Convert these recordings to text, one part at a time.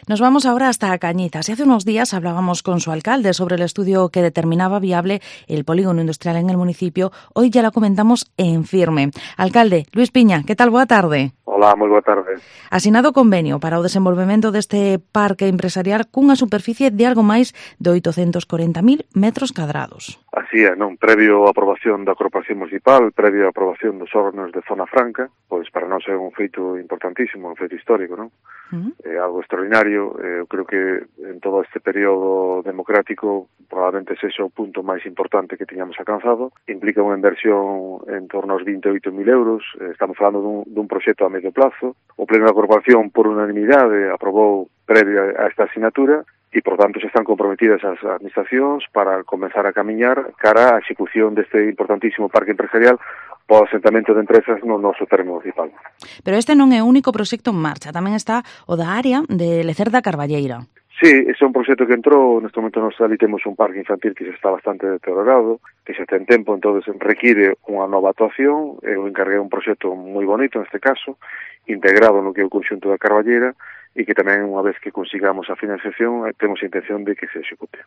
Nos vamos ahora hasta Cañizas. Y hace unos días hablábamos con su alcalde sobre el estudio que determinaba viable el polígono industrial en el municipio. Hoy ya lo comentamos en firme. Alcalde, Luis Piña, que tal? Boa tarde. Hola, moi boa tarde. Asinado convenio para o desenvolvemento deste parque empresarial cunha superficie de algo máis de 840.000 metros cadrados. Así é, non? Previo a aprobación da Corporación Municipal, previo a aprobación dos órganos de Zona Franca, pois para nós é un feito importantísimo, un feito histórico, non? É algo extraordinario. Eu creo que en todo este período democrático probablemente sexa o punto máis importante que tiñamos alcanzado. Implica unha inversión en torno aos 28.000 euros. Estamos falando dun proxecto a medio plazo. O Pleno da Corporación, por unanimidade, aprobou previo a esta asignatura e, por tanto, se están comprometidas as administracións para comenzar a camiñar cara á execución deste importantísimo parque empresarial para o asentamento de empresas no noso termo municipal. Pero este non é o único proxecto en marcha, tamén está o da área de Lecer da Carballeira. Sí, ese é un proxecto que entrou, neste momento nós ali temos un parque infantil que xa está bastante deteriorado, que xa ten tempo, entonces require unha nova actuación. Eu encarguei un proxecto moi bonito, neste caso, integrado no que é o conxunto da Carballeira, e que tamén, unha vez que consigamos a financiación, temos a intención de que se execute.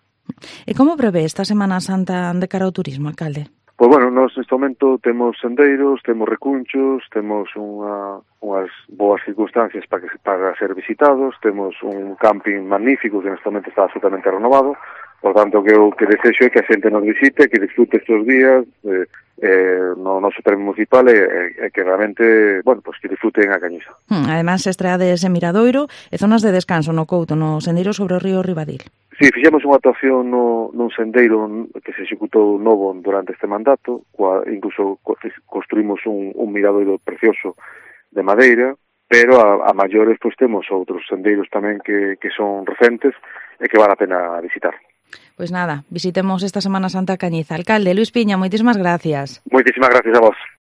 E como prevé esta Semana Santa de cara ao turismo, alcalde? Pois bueno, nós neste momento temos sendeiros, temos recunchos, temos unhas boas circunstancias para ser visitados, temos un camping magnífico que neste momento está absolutamente renovado. Por tanto, que o que desexo é que a xente nos visite, que disfrute estes días no noso termo municipal e que realmente, bueno, pues que disfruten a Cañiza. Además, estreades en Miradoiro e zonas de descanso no Couto, no sendeiro sobre o río Ribadil. Sí, fixemos unha actuación nun sendeiro que se executou novo durante este mandato, incluso construímos un miradoiro precioso de madeira, pero a maiores pois temos outros sendeiros tamén que son recentes e que vale a pena visitar. Pois nada, visitemos esta Semana Santa Cañiza. Alcalde, Luis Piña, moitísimas gracias. Moitísimas gracias a vos.